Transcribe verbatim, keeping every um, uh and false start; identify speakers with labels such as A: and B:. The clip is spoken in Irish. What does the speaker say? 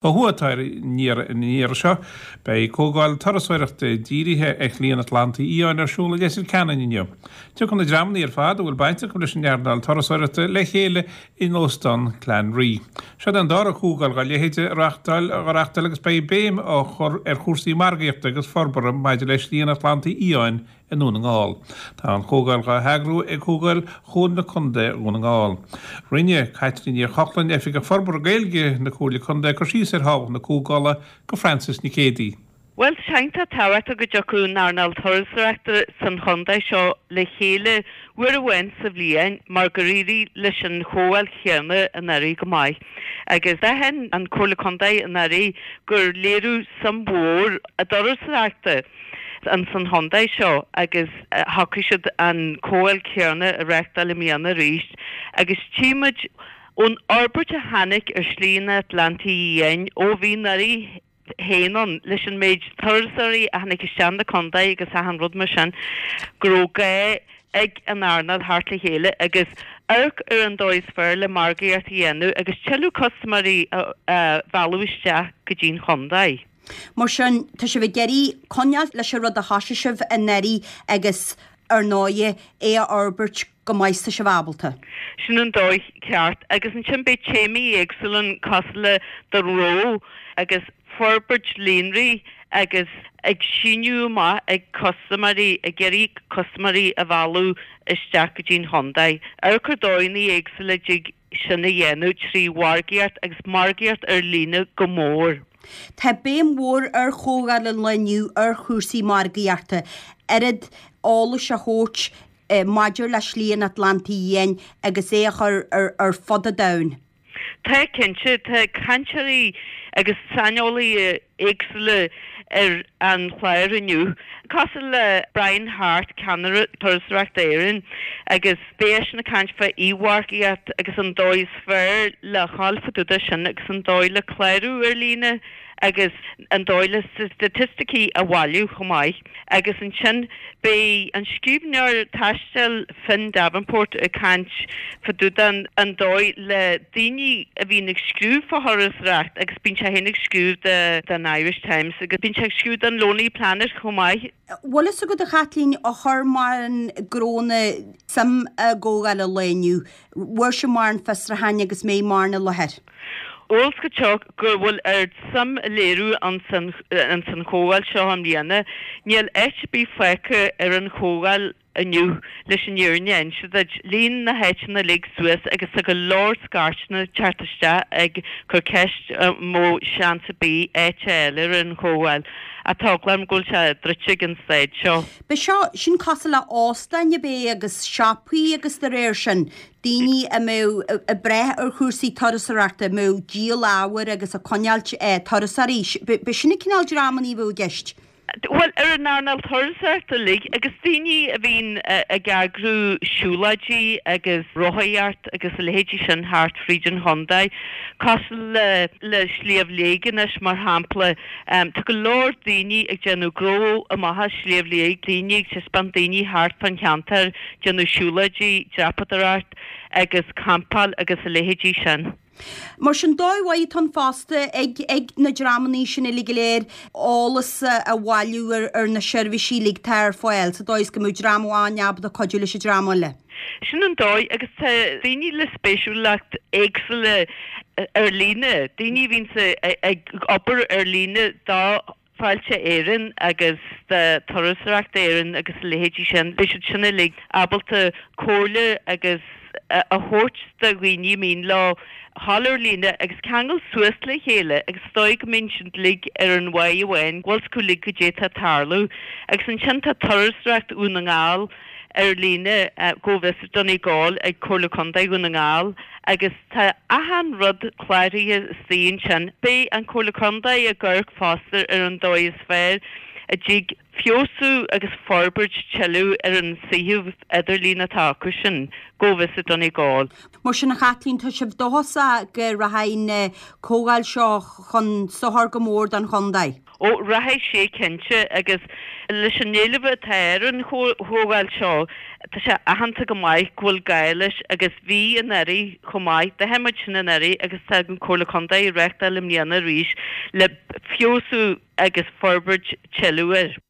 A: Ó thuaidh atá ar an iarraidh seo. Beidh comhdháil turasóireachta dírithe ar Shlí an Atlantaigh Fhiáin ar siúl i Leitir Ceanainn inniu. Tiocfaidh na dreamanna ar fad a bhfuil baint acu leis an earnáil turasóireachta le chéile in Óstán Clanree. Seo an dara comhdháil dá leithéid a reáchtáil a reáchtáil agus beidh béim á chur ar chúrsaí margaíochta agus forbartha maidir le Slí an Atlantaigh Fhiáin i nDún na nGall. Tá an chomhdháil á heagrú ag Comhdháil Chomhairle Contae Dhún na nGall. Rinne Caitlín Ní Chochlain Oifigeach Forbartha Gaeilge na Comhairle Contae cur síos ar thábhacht na comhdhála do Francis Nic Géadaigh.
B: Well tá tábhachtach go dtiocfadh an earnáil turasóireachta san chontae seo le chéile uair amháin sa bhliain mar gur éirigh leis an chomhdháil chéanna anuraidh go maith. Agus d'aithin an Comhairle Contae anuraidh gur léiriú suim mhór i dturasóireachta an san chontae seo agus shocraigh siad an comhdháil chéanna a reáchtáil i mbliana arís agus tímid ón fhorbairt a tháinig ar Shlí an Atlantaigh Fhiáin ó bhí anuraidh féin ann leis an méid turasóirí a tháinig isteach na contae agus achan rud mar sin go raibh gá ag an earnáil theacht le chéile agus amharc ar an dóigh is fearr le margaíocht a dhéanamh agus tuilleadh custaiméirí a mhealladh isteach go dtí'n chontae.
C: Mar sin tá sibh ag iarraidh coinneáil leis an rud a thosaigh sibh anuraidh agus ar ndóigh é a fhorbairt go maith tá sibh ábalta.
B: Sin an dóigh ceart agus ansin beidh téamaí éagsúla cosúil le do ró agus forbairt líonraí agus ag síniú amach ag custaiméirí ag iarraidh custaiméirí a mhealladh isteach go dtí'n chontae. Amharc ar dóigheanna éagsúla dtig sin a dhéanamh trí mhargaíocht agus margaíocht ar líne go mór.
C: Tá béim mhór ar chomhdháil an lae inniu ar chúrsaí margaíochta, oiread eolais a thabhairt maidir le Slí an Atlantaigh Fhiáin agus é a chur ar, ar fud an domhain.
B: Tá cinnte tá cainteoirí agus saineolaithe éagsúla ar an chlár inniu. Cosúil le Brian Hart ceannaire Turasóireacht Éireann agus beidh seisean ag caint fá mhargaíocht agus an dóigh is fearr le ghabháil fá dtaobh de sin agus an dóigh le clárú ar líne agus an dóigh le staitisticí a bhailiú chomh maith. Agus ansin beidh an scríbhneoir taistil Finn Davenport ag caint fá dtaobh den an dóigh le daoine a bhíonn ag scríobh fá thurasóireacht agus bíonn sé féin ag scríobh de den Irish Times agus bíonn sé ag scríobh don Lonely Planet chomh maith.
C: Bhfuil fhios agat a Chaitlín a chur mar an gcróna suim i gcomhdháil an lae inniu, bhfuair sé mar an fiosrúcháin agus mé mar na láthair.
B: Eolas go teach go bhfuil ar suim a léiriú an san an chomhdháil seo i mbliana, níl áit ar bith fágtha ar an chomhdháil inniu leis an fhírinne a inse duit. Líon na háiteanna uilig suas agus tá go leor scairteanna teacht isteach ag cur ceist mó seans ar bith áit a fháil ar an chomhdháil. Tá eagla orm go bhfuil sé druidte ag an staid seo.
C: Be seo sin cosúil le óstáin a bheith agus siopaí agus de réir sin, daoine a mbeadh ag brath ar chúrsaí turasóireachta, a mbeadh díol ábhair agus ag coinneáil turasóirí. Be sin an cineál dreamanna a bheadh i gceist.
B: Well ar an earnáil turasóireachta uilig agus daoine a bhíonn ag eagrú siúlóidí agus rothaíocht agus a leithéidí sin thart fríd an chontae, cosúil le le Sliabh Liag anois mar shampla. Tá go leor daoine ag déanamh gnó amach as Sliabh Liag, daoine ag taispeáint daoine thart fán cheantar, déanamh siúlóidí, dreapadóireacht agus campáil agus a leithéidí sin.
C: Mar sin dóigh mhaith atá ann fosta ag ag na dreamanna sin uilig go léir eolas a bhailiú ar ar na seirbhísí uilig atá ar fáil, sa dóigh is go mbeadh dream amháin ábalta cuidiú leis an dream eile.
B: Sin an dóigh agus tá daoine le spéisiúlacht éagsúla ar líne, daoine a bhíonn ag obair ar líne do Fáilte Éireann agus do Turasóireacht Éireann agus a leithéidí sin, beidh siad sin uilig ábalta comhairle agus a thabhairt do dhaoine mian leo ghabháil ar líne agus ceangal suas le chéile agus is dóigh go mbíonn siad uilig ar an mhaith amháin, bhfuil acu uilig goidé atá ag tarlú. Agus ansin tá Turasóireacht Dhún na nGall ar líne Go Visit Donegal ag Comhairle Contae Dhún na nGall agus tá achan rud cláraithe istigh ansin. Beidh an Comhairle Contae ag amharc fosta ar an dóigh is fearr a dtig feabhsú agus forbairt tuilleadh ar an suíomh idirlín atá acu sin, Go Visit Donegal.
C: Mar sin a Chaitlín, tá sibh dóchasach go rachaidh an chomhdháil seo chun sochair go mór don chontae?
B: Ó, rachaidh sé cinnte agus leis an éileamh atá ar an chomhdháil seo, tá sé aitheanta go maith go bhfuil gá leis agus bhí anuraidh chomh maith, d'aithin muid sin anuraidh agus tá an Comhairle Contae ag reáchtáil i mbliana arís le feabhsú agus forbairt tuilleadh air.